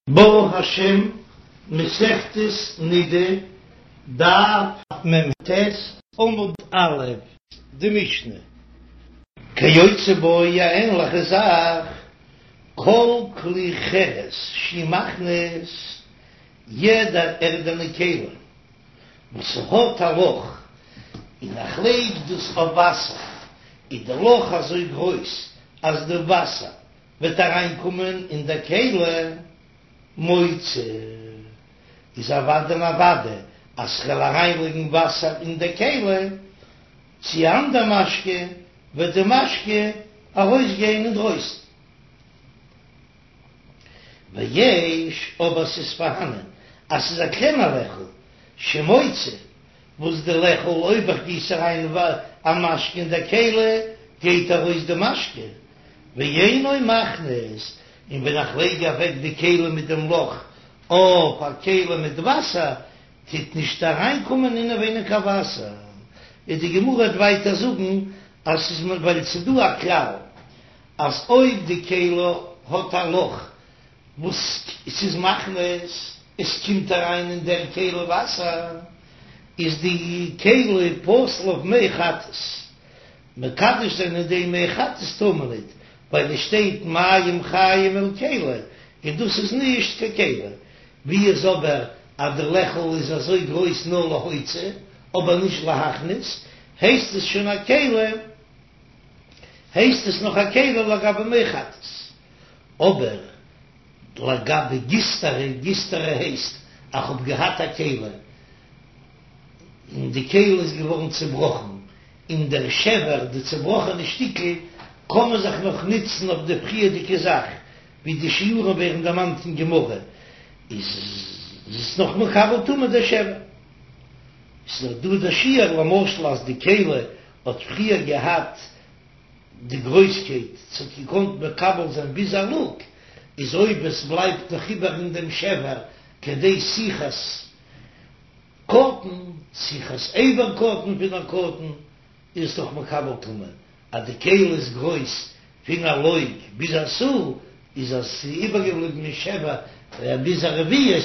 ברוך השם, מסכת נידה, דף מ"ט, עמוד א', די משנה. כיוצא בו א ענליכע זאך, כל כלי חרס שהוא מכניס, יעדע ערדענע כלי וואס ס'האט א לאך, און איך לייג דאס אויף וואסער, איז די לאך אזוי גרויס אז די וואסער וועט אריינקומען אין דער כלי מוציא, איז אוודאי און אוודאי אז כ'וועל אריינלייגן וואסער אין דער כלי, צי אנדער משקה, וועט די משקה ארויסגיין אינדרויסן. ויש, אבער ס'איז פארהאנען אז ס'איז א קלענער לעכל, שמוציא, וואס די לעכל אויב איך גיס אריין א משקה אין דער כלי, גייט ארויס די משקה, ואינו מכניס, און ווען איך לייג אוועק די כלי מיט דעם לאך אויף א כלי מיט וואסער, טוט נישט אריינקומען אינעווייניג קיין וואסער. און די גמרא וועט ווייטער זאגן אז ס'איז ווייל ס'איז דא א כלל אז אויב די כלי האט א לאך וואס ס'איז מכניס, עס קומט אריין אין דער כלי וואסער, איז די כלי פסול אויף מי חטאת. מקדש זיין אין דעם מי חטאת טאר מען ניט, ווייל עס שטייט מים חיים אל כלי, און דאס איז נישט קיין כלי. ווי איז אבער אז די לעכל איז אזוי גרויס נאר להוציא, אבער נישט להכניס, הייסט עס שוין א כלי, הייסט עס נאך א כלי לגבי מי חטאת. אבער לגבי גיסטרא, גיסטרא הייסט אז כ'האב געהאט א כלי, און די כלי איז געווארן צובראכן, און דער שבר, די צובראכענע שטיקל, קען מען זיך נאך נוצן אויף די פריערדיגע זאך, ווי די שיעורים ווערן דערמאנט אין גמרא, איז עס נאך מקבל טומאה דער שבר. ס'איז דאך דא דער שיעור למשל אז די כלי האט פריער געהאט די גרויסקייט ס'האט געקאנט מקבל זיין ביז א לוג, איז אויב עס בלייבט נאך איבער אין דעם שבר כדי סיכת קטן, סיכת אבר קטן פון א קטן, איז עס דאך מקבל טומאה, אז די כלי איז גרויס פון א לוג ביז א סאה, איז אז ס'איז איבערגעבליבן אין שבר ביז א רביעית,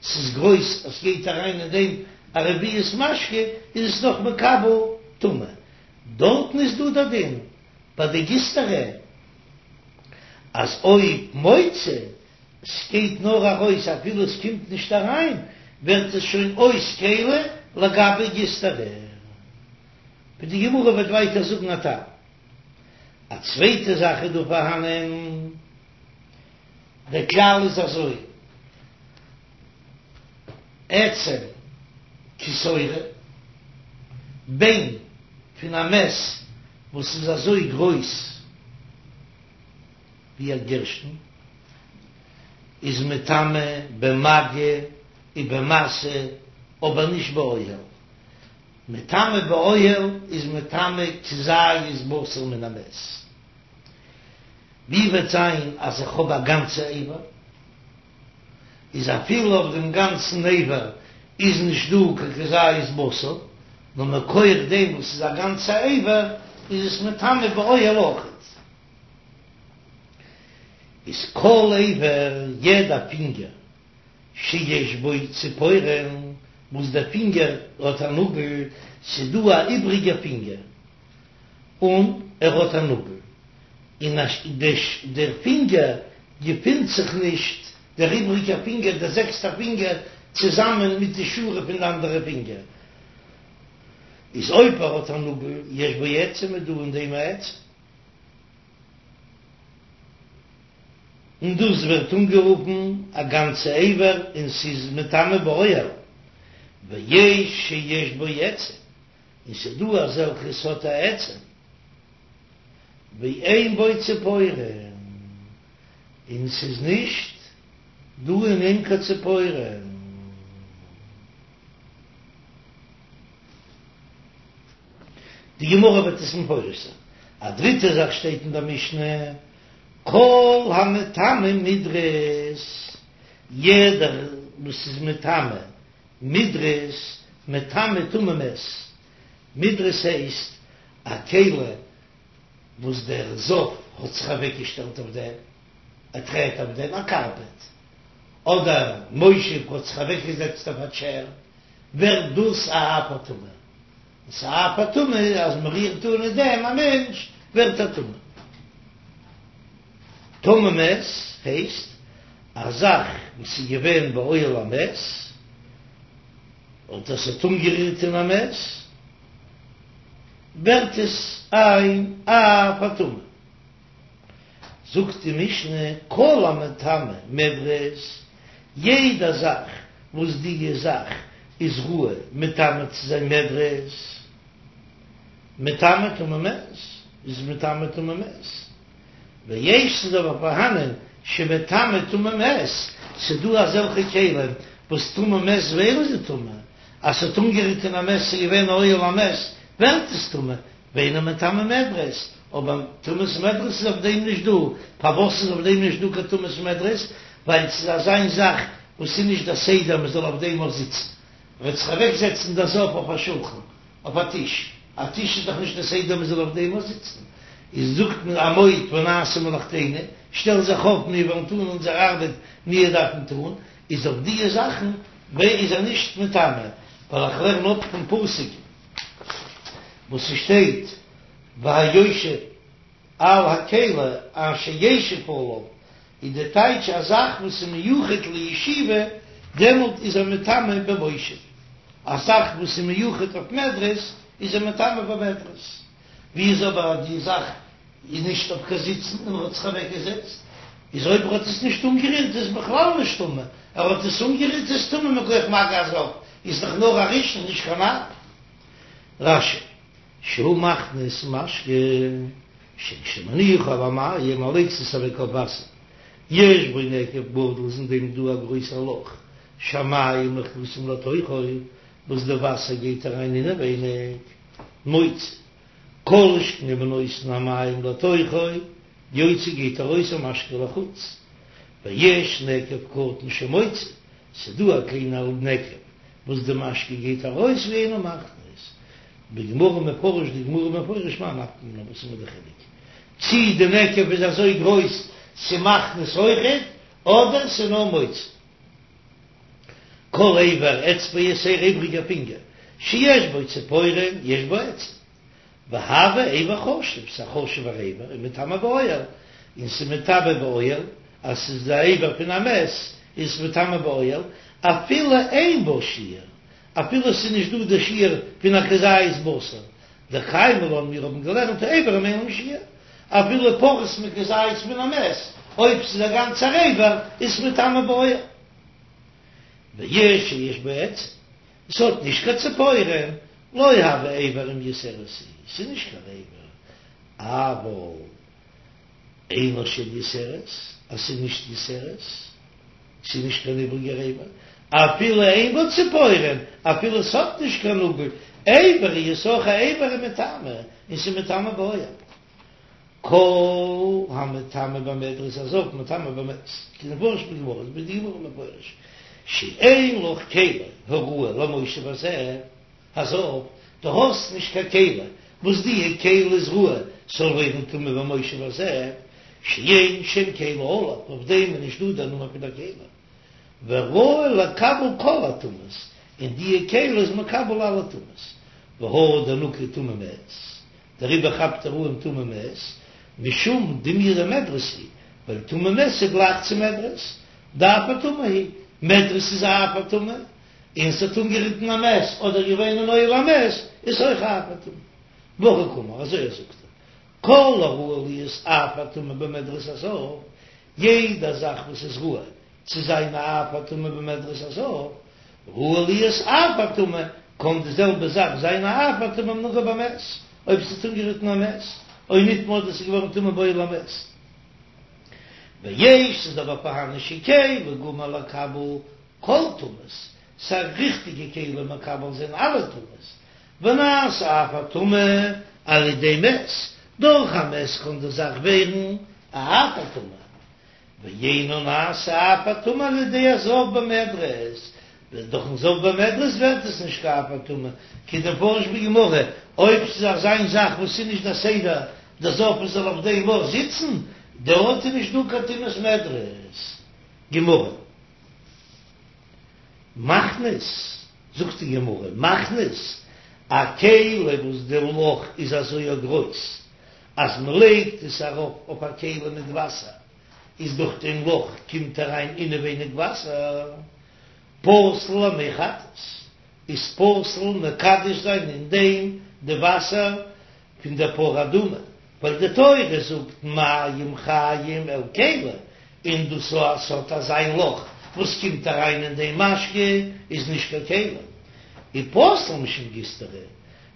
ס'איז גרויס אז ס'גייט אריין אין דעם א רביעית משקה, איז עס נאך מקבל טומאה. דארטן איז דא דער דין ביי די גיסטרא אז אויב מוציא ס'גייט נאר ארויס אפילו עס קומט נישט אריין, ווערט עס שוין אויס כלי לגבי גיסטרא. ווי די גמרא וועט ווייטער זאגן א טעם. א צווייטע זאך איז דא פארהאנען, דער כלל איז אזוי, עצם כשעורה, ביין פון א מת וואס איז אזוי גרויס, ווי א גערשטן איז מטמא במגע ובמשא אבער נישט באוהל, מטמא באוהל איז מטמא כזית בשר מן המת, ווי וועט זיין אז איך האב א גאנצע אבר, איז אפילו אויף דעם גאנצן אבר איז נישט דא קיין כזית בשר, נאר מכח דעם וואס איז א גאנצע אבר איז עס מטמא באוהל אויכעט. איז כל אבר, יעדע פינגער, שיש בו ציפורן, וואס דער פינגער האט א נאגל, ס'איז דא א איבריגע פינגער, און ער האט א נאגל, און דער פינגער געפינט זיך נישט, דער איבריגער פינגער, דער זעקסטער פינגער, צוזאמען מיט די שורה פון די אנדערע פינגער, איז אויב ער האט א נאגל, יש בו עצם, איז דא אין דעם א עצם. און דאס ווערט אנגערופן א גאנצע אבר און ס'איז מטמא באוהל, ויש שיש בו עצם, און ס'איז דא אזעלכע ס'האט א עצם, ואין בו ציפורן, און ס'איז נישט דא אין אים קיין ציפורן. די גמרא וועט עס מפרש זיין. א דריטע זאך שטייט אין דער משנה, כל המטמא מדרס, יעדער וואס איז מטמא מדרס, מטמא טמא מת. מדרס הייסט א כלי וואס דער זב האט זיך אוועקגעשטעלט אויף דעם, ער טרעט אויף דעם, א קארפעט. אדער מושב האט זיך אוועקגעזעצט אויף א טשער, ווערט דאס א אב הטומאה. און ס'איז אב הטומאה אז מ'רירט אן אין דעם א מענטש ווערט ער טמא. טמא מת הייסט א זאך וואס איז געווען באוהל המת, און דאס האט אנגערירט אין א מת, ווערט עס אן אב הטומאה. זאגט די משנה, כל המטמא מדרס, יעדע זאך וואס די זאך איז ראוי מטמא צו זיין מדרס, מטמא טומאת מת, איז מטמא טומאת מת. ויש ס'איז אבער פארהאנען שמטמא טומאת מת, ס'דא אזעלכע כלים וואס טומאת מת ווערן זיי טמא, אז ס'האט אנגערירט אין א מת ס'איז געווען אוהל המת ווערט עס טמא, ואינו מטמא מדרס, אבער טומאת מדרס איז אויף דעם נישט דא, פארוואס איז אויף דעם נישט דא קיין טומאת מדרס? ווייל ס'איז אזיין זאך וואס איז נישט דער סדר מ'זאל אויף דעם אויך זיצן, מ'וועט זיך אוועק זעצן דער זב אויף א שולחן, אויף א טיש, א טיש איז דאך נישט דער סדר מ'זאל אויף דעם אויך זיצן, איז זאגט מען עמוד ונעשה מלאכתנו, שטעל זיך אויף מיר וועלן טון אונזער ארבעט מיר דארפן טון, איז אויף דיע זאכן איז ער נישט מטמא, ווייל איך לערן אפ פון פסוק וואס ס'שטייט והיושב על הכלי אשר ישב עליו, איז די טייטש א זאך וואס איז מיוחד לישיבה, דעמאלט איז ער מטמא במושב, א זאך וואס איז מיוחד אויף מדרס איז ער מטמא במדרס, ווי איז אבער אז די זאך איז נישט אויף קיין זיצן און ער האט זיך אוועק געזעצט, איז אויב ער האט עס נישט אנגערירט איז בכלל נישט טמא, ער האט עס אנגערירט איז טמא מכח מגע הזב, איז דאך נאר א ראשון נישט קיין אב. רש"י, שהוא מכניס משקה שכשמניחו על המים ער לייגט עס אוועק אויף וואסער, יש בו נקב גדול איז אין דעם דא א גרויסער לאך, שהמים נכנסים לתוכו, וואס די וואסער גייט אריין אינעווייניג, מוציא, כל שכן אם נותן המים לתוכו, יוצא גייט ארויס המשקה לחוץ, ויש נקב קטן שמוציא, ס'דא א קליינע נקב וואס די משקה גייט ארויס ואינו מכניס, בגמרא מפרש די גמרא מפרש מאי נפקא מינה וואס איז מיר די חילוק צי די נקב איז אזוי גרויס ס'מכניס אויכעט אדער ס'נאר מוציא. כל אבר אצבע יתירה איבריגע פינגער שיש בו ציפורן יש בו עצם והוי אבר חשוב ס'א חשוב'ער אבר ומטמא באוהל און ס'מטמא באוהל אז ס'איז די אבר פון א מת איז עס מטמא באוהל אפילו אין בו שיעור אפילו ס'איז נישט דא די שיעור פון א כזית בשר דקיימא לן מיר האבן געלערנט אברים אין להם שיעור אפילו פחות מכזית מן המת אויב ס'איז א גאנצער אבר איז עס מטמא באוהל. ויש שיש בו עצם, עס האט נישט קיין ציפורן, לא הוי אבר אם יתרת היא, ס'איז נישט קיין אבר, אבל אינה של יתרת, אז ס'איז נישט יתרת, ס'איז נישט קיין איבריגער אבר, אפילו אין בו ציפורן, אפילו ס'האט נישט קיין נאגל, אבר הוא איז אויך א אבר ומטמא, און ס'איז מטמא באוהל. כל המטמא במדרס הזב מטמא במת, כדמפרש בגמרא, איז די גמרא מפרש שאין לך כלי הראוי למושב הזה, הזב, דו האסט נישט קיין כלי וואס די כלי איז ראוי ס'זאל ווערן טמא במושב הזה, שאין שם כלי עליו, אויף דעם איז נישט דא דער נאמען פון דער כלי, וראוי לקבל כל הטומאות, און די כלי איז מקבל אלע טומאות, והא דנקט טומאת מת. דעריבער כאפט ער אן טומאת מת, משום דומיא דמדרס היא, ווייל טומאת מת איז גלייך צו מדרס, דאב הטומאה היא, מדרס איז א אב הטומאה, און ס'האט אנגערירט אין א מת אדער געווען אין אוהל המת איז אויך א אב הטומאה. והכי קאמר, אזוי ער זאגט ער, כל הראוי להיות אב הטומאה במדרס הזב, יעדע זאך וואס איז ראוי צו זיין א אב הטומאה במדרס הזב, ראוי להיות אב הטומאה, קען די זעלבע זאך זיין א אב הטומאה אם נגע במת, אויב ס'האט אנגערירט אין א מת, או נטמא אדער ס'איז געווארן טמא באוהל המת. ויש ס'איז אבער פארהאן שכלי גמור לקבל כל טומאות, ס'איז א ריכטיגע כלי מקבל זיין אלע טומאות, ונעשה אב הטומאה על ידי מת, דורך א מת קען די זאך ווערן א אב הטומאה. ואינו נעשה אב הטומאה על ידי הזב במדרס, דורכן זב במדרס ווערט עס נישט קיין אב הטומאה, כדמפרש בגמרא, אויב ס'איז אזיין זאך וואס איז נישט דער סדר דער זב זאל אויף דעם אויך זיצן, דארט איז נישט דא קיין טומאת מדרס. גמרא. מכניס, זאגט די גמרא, מכניס, א כלי וואס די לאך איז אזוי גרויס אז מען לייגט עס ארויף אויף א כלי מיט וואסער, איז דורך דעם לאך קומט אריין אינעווייניג וואסער, פסול למי חטאת, איז פסול מקדש זיין אין דעם די וואסער פון דער פרה אדומה, ווייל די תורה זאגט מים חיים אל כלי, און דאס אז ס'האט אזא לאך וואס קומט אריין אין דעם משקה איז נישט קיין כלי, ופסול משום גיסטרא,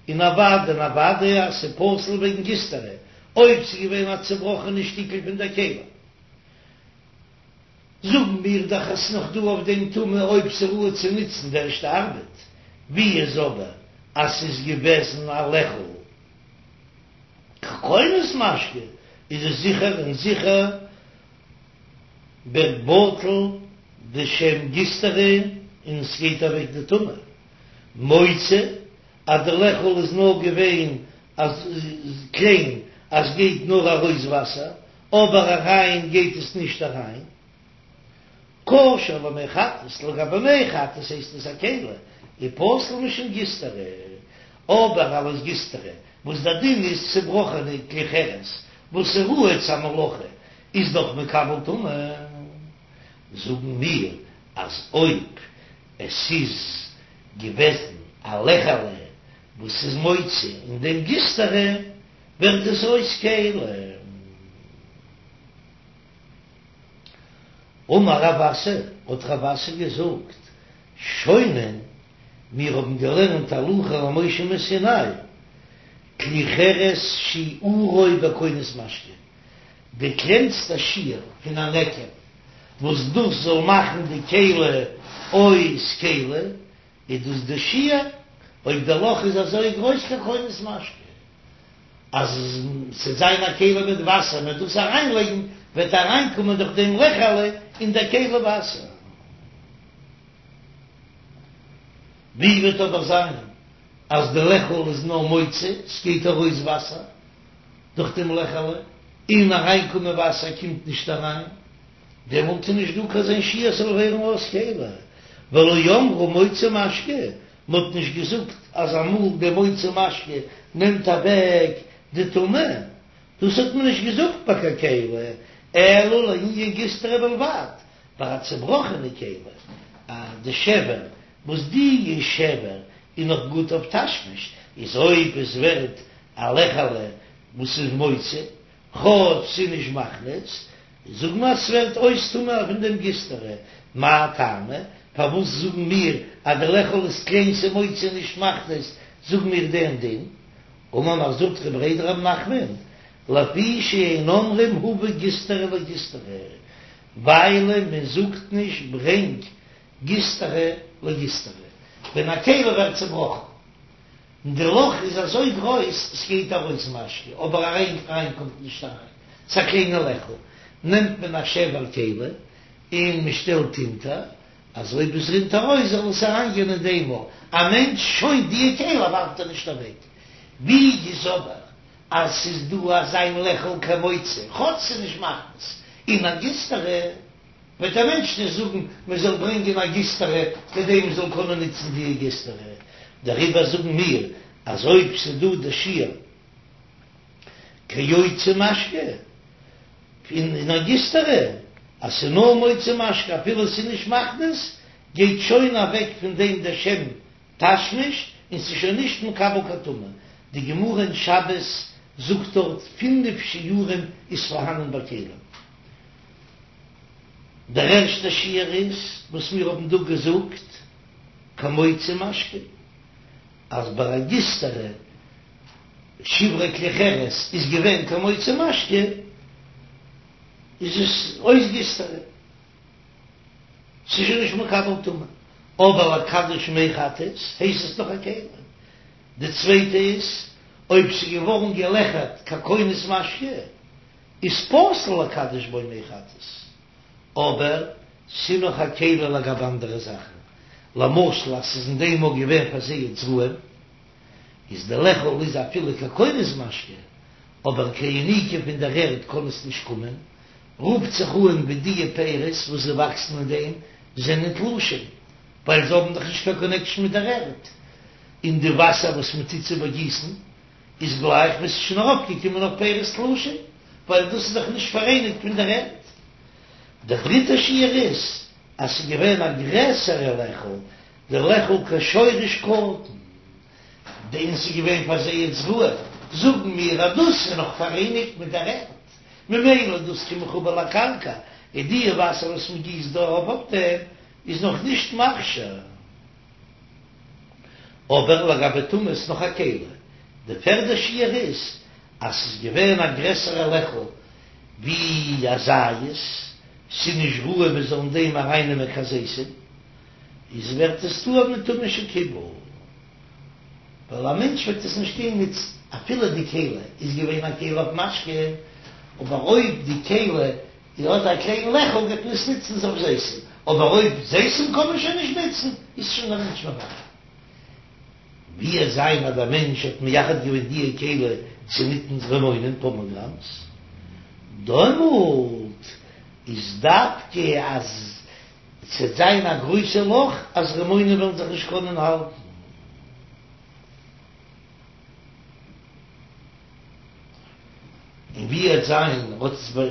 און אוודאי און אוודאי אז ס'איז פסול וועגן גיסטרא, אויב ס'איז געווען א צובראכענע שטיקל פון דער כלי. זאגן מיר דאך אז ס'נאך דא אויף דעם טומאה אויב ס'ראוי צו נוצן די ערשטע ארבעט, ווי איז אבער אז ס'איז געוועזן א לעכל ככונס משקה איז עס זיכער און זיכער ווערט בטל די שם גיסטרא און ס'גייט אוועק די טומאה מוציא אז די לעכל איז נאר געווען אזוי קליין אז ס'גייט נאר ארויס וואסער אבער אריין גייט עס נישט אריין. כשר למי חטאת, לגבי מי חטאת הייסט עס א כלי, ופסול משום גיסטרא, אבער אלס גיסטרא וואס דער דין איז צובראכענע כלי חרס וואס איז ראוי צו א מלאכה איז דאך מקבל טומאה, זאגן מיר אז אויב עס איז געוועזן א לעכעלע וואס איז מוציא אין דעם גיסטרא ווערט עס אויס כלי. אמר רב אסי, האט רב אסי געזאגט, שונין, מיר האבן געלערנט הלכה למשה מסיני, כלי חרס שיעורו בכונס משקה, די קלענסטע שיעור פון א נקב וואס דאס זאל מאכן די כלי אויס כלי, איז דאס די שיעור, אויב די לאך איז אזוי גרויס ככונס משקה. אז ס'וועט זיין א כלי מיט וואסער, מ'וועט דאס אריינלייגן, וועט אריינקומען דורך דעם לעכעלע אין דער כלי וואסער. ווי וועט אבער זיין אז די לעכל איז נאר מוציא, ס'גייט ארויס וואסער דורך דעם לעכעלע, און אריינקומען וואסער קומט נישט אריין, דעמאלט איז נישט דא קיין אזוין שיעור ס'זאל ווערן אויס כלי, ולא אמרו מוציא משקה, מ'האט נישט געזאגט אז אמאל די מוציא משקה נעמט אוועק די טומאה, דאס האט מען נישט געזאגט ביי קיין כלי, אלא לענין גיסטרא בלבד, ביי א צובראכענע כלי, א די שבר וואס די שבר איז נאך גוט אויף תשמיש, איז אויב עס ווערט א לעכעלע וואס איז מוציא, כאטש ס'איז נישט מכניס, זאג מיר אז ס'ווערט אויס טמא פון דעם גיסטרא, מאי טעמא, פארוואס זאגן מיר אז די לעכל איז קליין ס'מוציא נישט מכניס, זאגן מיר דעם דין, אמר מר זוטרא בריה דרב נחמן, לפי שאין אומרים הבא גיסטרא לגיסטרא, ווייל מען זאגט נישט ברענג גיסטרא לגיסטרא ווען א כלי ווערט צובראכן. און די לאך איז אזוי גרויס סגייט ארויס משקה אבער אריין אריין קומט נישט אריין, ס'א קליינע לעכל, נעמט מען א שבר כלי און מ'שטעלט אונטער אז אויב עס רינט ארויס זאל עס אריין גיין אין דעם און א מענטש שוין די כלי ווארפט ער נישט אוועק, ווי איז אבער אז ס'איז דא אזיין לעכל כמוציא כאטש ס'איז נישט מכניס אין א גיסטרא. וועט א מענטש נישט זאגן מען זאל ברענגען א גיסטרא כדי מען זאל קענען נוצן די גיסטרא, דעריבער זאגן מיר אז אויב ס'איז דא די שיעור כיוצא משקה פון א גיסטרא, אז ס'איז נאר מוציא משקה אפילו ס'איז נישט מכניס, גייט שוין אוועק פון דעם דער שם תשמיש און ס'איז שוין נישט מקבל קיין טומאה. די גמרא אין שבת זאגט דארט פינף שיעורים איז פארהאנען ביי כלים. דער ערשטער שיעור איז וואס מיר האבן דא געזאגט, כמוציא משקה, אז ביי א גיסטרא שברי כלי חרס איז געווען כמוציא משקה, איז עס אויס גיסטרא, ס'איז שוין נישט מקבל טומאה, אבער לקדש מי חטאת הייסט עס נאך א כלי. די צווייטע איז אויב ס'איז געווארן געלעכערט ככונס משקה, איז פסול לקדש בו מי חטאת, אבער ס'איז נאך א כלי לגבי אנדערע זאכן, למשל אז ס'איז אין דעם מאל געווען פארזייט זרעים, איז די לעכל איז אפילו ככונס משקה, אבער קיין יניקה פון דער ערד קען עס נישט קומען, רופט זיך אן ווי די פירות וואס זיי וואקסן אין דעם זענען תלושים. ווייל זיי האבן דאך נישט קיין קאנעקשאן מיט דער ערד, און די וואסער וואס מען טוט צו באגיסן איז גלייך ווי ס'איז שוין ארויפגעקומען אויף פירות תלושים, ווייל דאס איז דאך נישט פאראייניגט מיט דער ערד. דער דריטער שיעור איז אז ס'איז געווען א גרעסערע לעכל, די לעכל כשורש קטן, און ס'איז געווען פאר זיי זרוע, זאגן מיר אז דאס איז נאך פאראייניגט מיט דער ערד, ממילא דאס כמחובר לקרקע, און די וואסער וואס מ'גיסט דא ארויף אויף דעם איז נאך נישט מכשיר. אבער לגבי טומאה איז נאך א כלי. די פערדע שיעור איז אז ס'איז געווען א גרעסערע לעכל ווי א זית, ס'איז נישט ראוי מען זאל אין דעם ארייננעמען קיין זיתים, איז ווערט עס טהור מטומאה של קיבול, ווייל א מענטש וועט עס נישט טוהן נוצן, אפילו די כלי איז געווען א כלי אויף משקה, אבער אויב די כלי האט א קליין לעכל גייט מען עס נוצן אויף זיתים, אבער אויב זיתים קען מען שוין נישט נוצן, איז שוין דער מענטש מבטל. ווי וועט זיין אז דער מענטש האט מייחד געווען די כלי צו נוצן רימונים פאמעגרענעטס, דעמאלט איז דווקא אז ס'וועט זיין א גרויסע לאך אז רימונים וועלן זיך נישט קענען האלטן. און ווי וועט זיין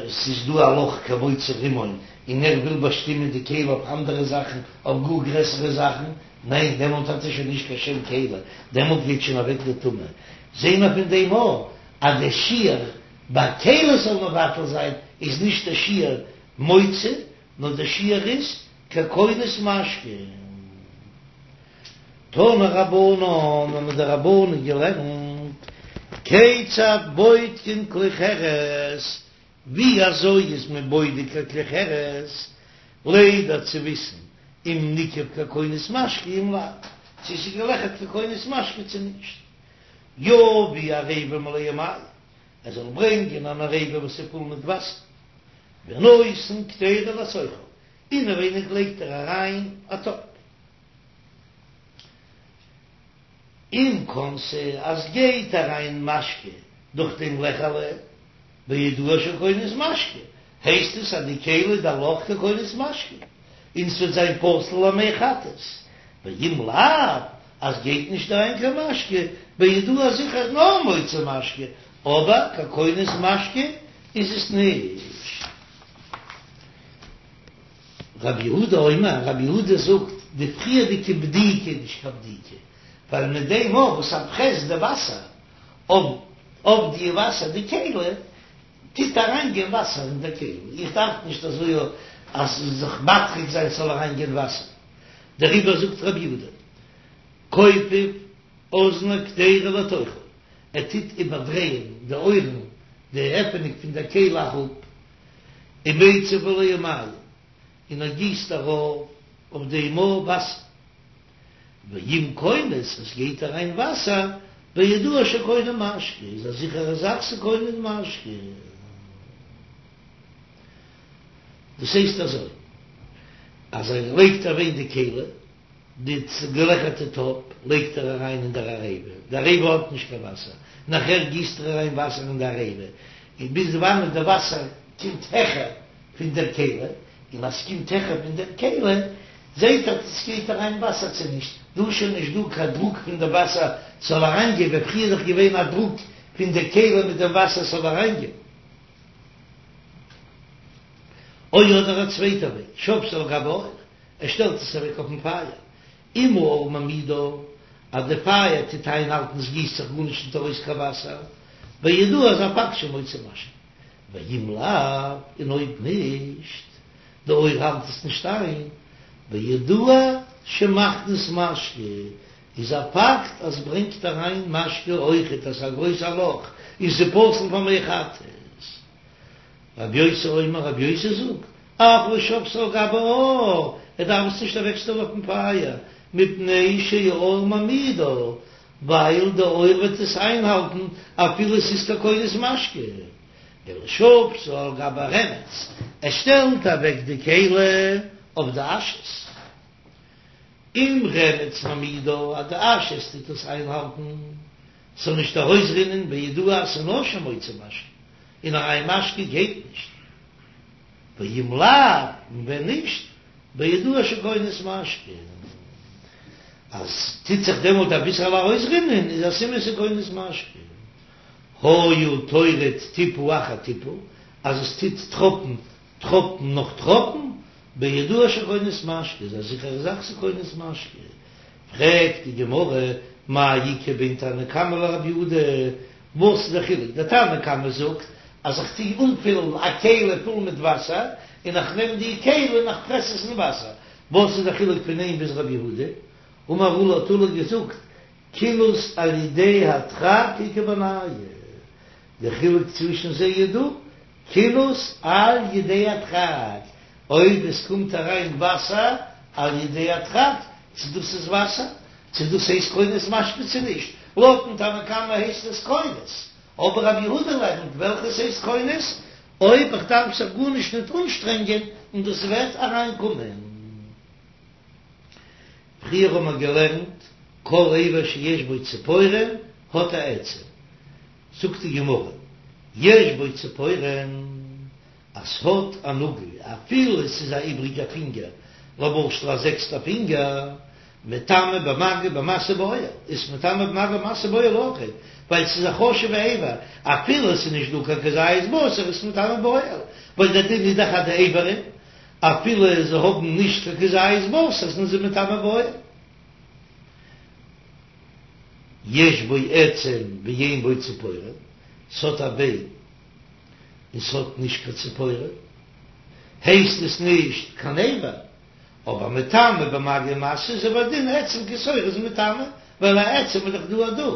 ס'איז דא א לאך כמוציא רימון און ער וויל באשטימען די כלי אויף אנדערע זאכן אויף גאר גרעסערע זאכן, ניין דעמאלט האט ער שוין נישט קיין שם כלי, דעמאלט גייט שוין אוועק די טומאה. זעהן מיר פון דעם אויך אז די שיעור ביי כלי זאל מבטל זיין איז נישט די שיעור מוציא נאר די שיעור איז ככונס משקה. תנו רבנן האבן די רבנן געלערנט, כיצד בודקין כלי חרס, ווי אזוי איז מען בודק א כלי חרס, לידע צו וויסן אם ניקב ככונס משקה אם לאו, צו ס'איז געלעכערט ככונס משקה צו נישט. יביא עריבה מלאה מים, ער זאל ברענגען אן עריבה וואס איז פול מיט וואסער, ונותן קדירה לתוכה, אינעווייניג לייגט ער אריין א טאפ. אם כנסה אז גייט אריין משקה דורך דעם לעכעלע, בידוע שכונס משקה, הייסט עס אז די כלי די לאך ככונס משקה, און ס'וועט זיין פסול למי חטאת, ואם לאו אז גייט נישט אריין קיין משקה, בידוע זיכער נאר מוציא משקה, אבער ככונס משקה איז עס נישט. רבי יהודה אומר, רבי יהודה זאגט, די פריערדיגע בדיקה איז נישט קיין בדיקה, ווייל מיט דעם אויך וואס ער פרעסט די וואסער אויף די וואסער די כלי, טוט אריינגיין וואסער אין די כלי, איך דארף נישט אזוי אז זיך מטריח זיין ס'זאל אריינגיין וואסער, דעריבער זאגט רבי יהודה, כופף אזני קדירה לתוכה, ער טוט איבערדרייען די אויערן, די עפענונג פון דער כלי אראפ, ומציף עליה מים, און ער גיסט ארויף אויף דעם וואסער, ואם כונס, עס גייט אריין וואסער, בידוע שקונה משקה, איז א זיכערע זאך ס'קונה משקה. דאס הייסט אזוי, אז ער לייגט אריין די כלי, די געלעכערטע טאפ לייגט ער אריין אין דער עריבה, די עריבה האט נישט קיין וואסער, נאכער גיסט ער אריין וואסער אין די עריבה, און ביז וואנעט די וואסער קומט העכער פון דער כלי, און אז ס'קומט העכער פון דער כלי, זעט ער צו ס'גייט אריין וואסער צו נישט, דא איז שוין נישט דא קיין דרוק פון די וואסער ס'זאל אריינגיין, ווען פריער איז דאך געווען א דרוק פון די כלי מיט דעם וואסער ס'זאל אריינגיין. או אדער א צווייטע וועג, שבתה על גבי האור, ער שטעלט עס אוועק אויפן פייער, אם האור מעמידה, אז די פייער טוט איינהאלטן עס גיסט זיך גארנישט נישט ארויס קיין וואסער, בידוע איז א פאקט שמוציא משקה, ואם לאו, און אויב נישט, די אור האלט עס נישט איין, בידוע שמכניס משקה, איז א פאקט אז ברענגט אריין משקה אויכעט אז ס'איז א גרויסע לאך און ס'איז פסול פאר מי חטאת. רבי יוסי אומר, רבי יוסי זאגט, אף לא שבתה על גבי האור, ער דארף עס נישט אוועקשטעלן אויפן פייער, מפני שהאור מעמידה, ווייל די אור וועט עס איינהאלטן אפילו עס איז ככונס משקה, אלא שבתה על גבי רמץ, ער שטעלט אוועק די כלי אויף די אשעס, אם רמץ מעמידה, אז די אשעס טוט עס איינהאלטן, ס'זאל נישט ארויסרינען, בידוע אז ס'איז נאר שמוציא משקה, און אריין משקה גייט נישט, ואם לאו, און ווען נישט, בידוע שכונס משקה. אז טוט זיך דעמאלט אביסעלע ארויסרינען איז א סימן ס'איז כונס משקה. היה טורד טיפה אחר טיפה, אז עס טוט טראפן טראפן נאך טראפן, בידוע שכונס משקה, איז א זיכערע זאך ס'איז כונס משקה. פרעגט די גמרא, מאי איכא בין תנא קמא לרבי יהודה, וואס איז דער חילוק? דער תנא קמא זאגט אז איך טו אנפילן א כלי פול מיט וואסער, און איך נעם די כלי און איך פרעס עס אין וואסער, וואס איז דער חילוק פון אים ביז רבי יהודה? אמר עולא האט עולא געזאגט, כינוס על ידי הדחק איכא בינייהו, די חילוק צווישן זיי איז דא, כינוס על ידי הדחק, אויב עס קומט אריין וואסער על ידי הדחק, צו דאס איז וואסער, צו דאס הייסט כונס משקה צו נישט, לויטן תנא קמא הייסט עס כונס, אבער רבי יהודה לערנט וועלכעס הייסט כונס, אויב איך דארף זיך גארנישט ניט אנשטרענגען און דאס וועט אריין קומען. פריער האבן מיר געלערנט כל אבר שיש בו ציפורן האט א עצם, זאגט די גמרא, יש בו ציפורן, אז ס'האט א נאגל, אפילו עס איז א איבריגע פינגער, למשל א זעקסטע פינגער, מטמא במגע במשא באוהל, איז מטמא במגע במשא באוהל אויך, ווייל ס'איז א חשוב'ע אבר, אפילו עס איז נישט דא קיין כזית בשר איז מטמא באוהל, ווייל דער דין איז דאך אז די איברים, אפילו זיי האבן נישט קיין כזית בשר זענען זיי מטמא באוהל. יש בו עצם ואין בו ציפורן, ס'האט א ביין און ס'האט נישט קיין ציפורן, הייסט עס נישט קיין אבר, אבער מטמא במגע ומשא איז הוא הדין עצם כשעורה איז מטמא, ווייל א עצם איז דאך דא א דא,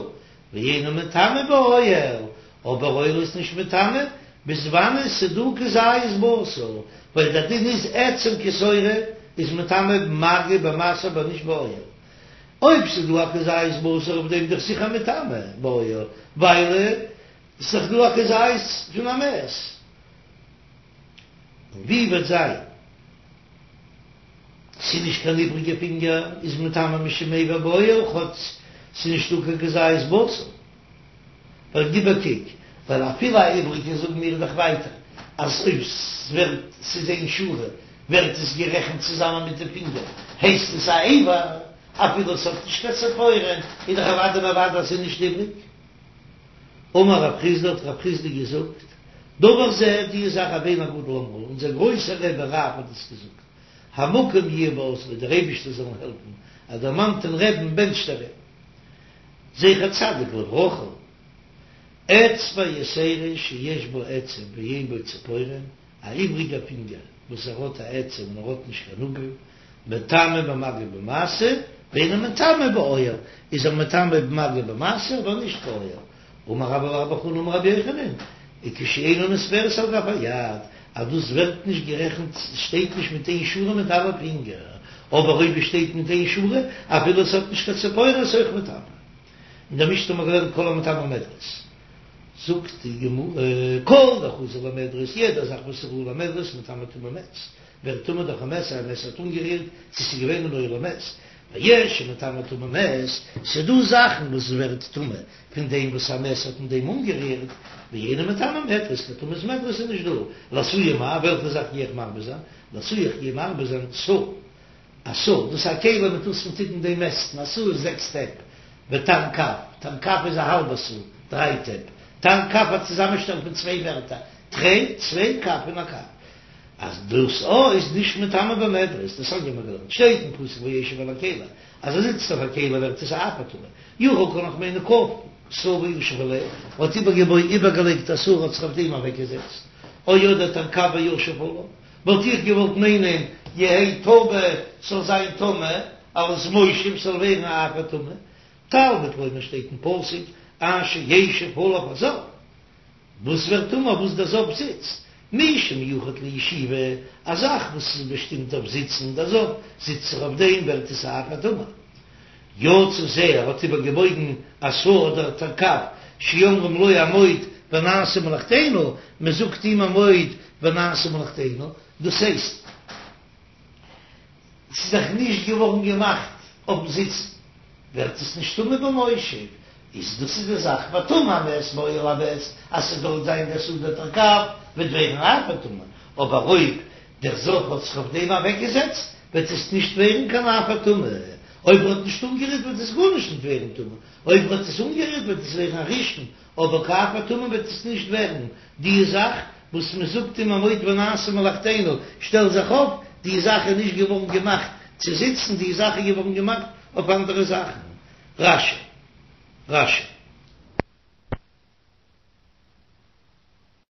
ואינו מטמא באוהל, אבער אוהל איז נישט מטמא, ביז וואנען ס'דא כזית בשר, ווייל דער דין איז עצם כשעורה איז מטמא במגע במשא אבער נישט באוהל. אויב ס'איז דא א כזית בשר אויף דעם דאך זיכער מטמא באוהל, ווייל ס'איז דאך דא א כזית פון א מת. און ווי וועט זיין ס'איז נישט קיין איבריגע פינגער איז מטמא משום אבר באוהל כאטש ס'איז נישטא קיין כזית בשר. ווייל גיב א קוק, ווייל אפילו א איבריגע זאגן מיר דאך ווייטער אז אויב ס'ווערט ס'איז איין שורה ווערט עס גערעכנט צוזאמען מיט די פינגער הייסט עס א אבר אפילו עס האט נישט קיין ציפורן איז דאך אוודאי און אוודאי אז ס'איז נישט איבריג. אמר רב חסדא האט רב חסדא געזאגט דבר זה די זאך רבינו הגדול אמרו אונזער גרויסער רבי רב האט עס געזאגט המקום יהיה בעזרו דער אייבישטער זאל אים העלפן אז דערמאנט דעם רבי'ן בענטשט ער אים. זכר צדיק לברכה, אצבע יתירה שיש בה עצם ואין בה ציפורן, א איבריגע פינגער וואס ער האט א עצם און ער האט נישט קיין נאגל, מטמא במגע במשא, ואינו מטמא באוהל, איז ער מטמא במגע במשא אבער נישט באוהל. אמר רבה בר בר חנה אמר רבי יוחנן, וכשאינה נספרת על גב היד, אז דאס ווערט נישט גערעכנט, ס'שטייט נישט מיט איין שורה מיט אלע פינגער, אבער אויב עס שטייט מיט איין שורה, אפילו עס האט נישט קיין ציפורן איז אויך מטמא. אין דער משנה האט מען געלערנט כל המטמא מדרס. זאגט די גמרא, כל דחזי למדרס, יעדע זאך וואס איז ראוי למדרס מטמא טומאת מת, ווערט טמא דורך א מת, א מת האט אנגערירט, צו ס'איז געווען אין אוהל א מת, ויש שמטמא טומאת מת, ס'איז דא זאכן וואס ווערט טמא פון דעם וואס א מת האט אין דעם אנגערירט, ואינו מטמא מדרס, קיין טומאת מדרס איז נישט דא, לאתויי מאי, וועלכע זאך גיי איך מרבה זיין? לאתויי איך גיי מרבה זיין סאה, א סאה, דאס איז א כלי מיט וואס מען טוט אין דעם מעסטן, א סאה איז זעקס טעפ, ותנכף, תנכף איז א האלבע סאה, דריי טעפ, תנכף א צוזאמענשטעל פון צוויי ווערטער, תרי, צוויי כף און א קב. אז דאס א איז נישט מטמא במדרס, דתניא האבן מיר געלערנט, שטייט אין פסוק וישב על הכלי, אז ער זיצט אויף א כלי ווערט עס א אף הטמא, יכול קען איך מיינען כפה סאה וישב עליה, האט איבערגעלייגט א סאה האט זיך אויף דעם אוועקגעזעצט, או אדער תנכף וישב עליו, וואלט איך געוואלט מיינען יהא טמא ס'זאל זיין טמא, אלס מושב ס'זאל ווערן א אף הטמא, תלמוד לומר שטייט אין פסוק אשר ישב עליו הזב. וואס ווערט טמא וואס דער זב זיצט? מי שמיוחד לישיבה, א זאך וואס איז באשטימט אויף זיצן, דער זב זיצט זיך אויף דעם ווערט עס א אף הטמא. יצא זה, ער האט איבערגעבויגן א סאה אדער תנכף, שאומרים לו עמוד ונעשה מלאכתנו, מען זאגט אים עמוד ונעשה מלאכתנו, דאס הייסט, ס'איז דאך נישט געווארן געמאכט אויפן זיצן, ווערט עס נישט טמא במושב, איז דאס איז די זאך וטמא המת באוהל המת, אז ס'זאל זיין דער סאה אדער תנכף וועט ווערן אף הטמא, אבער אויב דער זב האט זיך אויף דעם אוועקגעזעצט וועט עס נישט ווערן קיין אף הטמא. אויב ער האט נישט אנגערירט וועט עס גארנישט נישט ווערן טמא, אויב ער האט עס אנגערירט וועט עס ווערן א ראשון, אבער קיין אב הטומאה וועט עס נישט ווערן, די זאך וואס מען זאגט אים עמוד ונעשה מלאכתנו, שטעל זיך אויף, די זאך איז נישט געווארן געמאכט צו זיצן, די זאך איז געווארן געמאכט אויף אנדערע זאכן. רש"י. רש"י.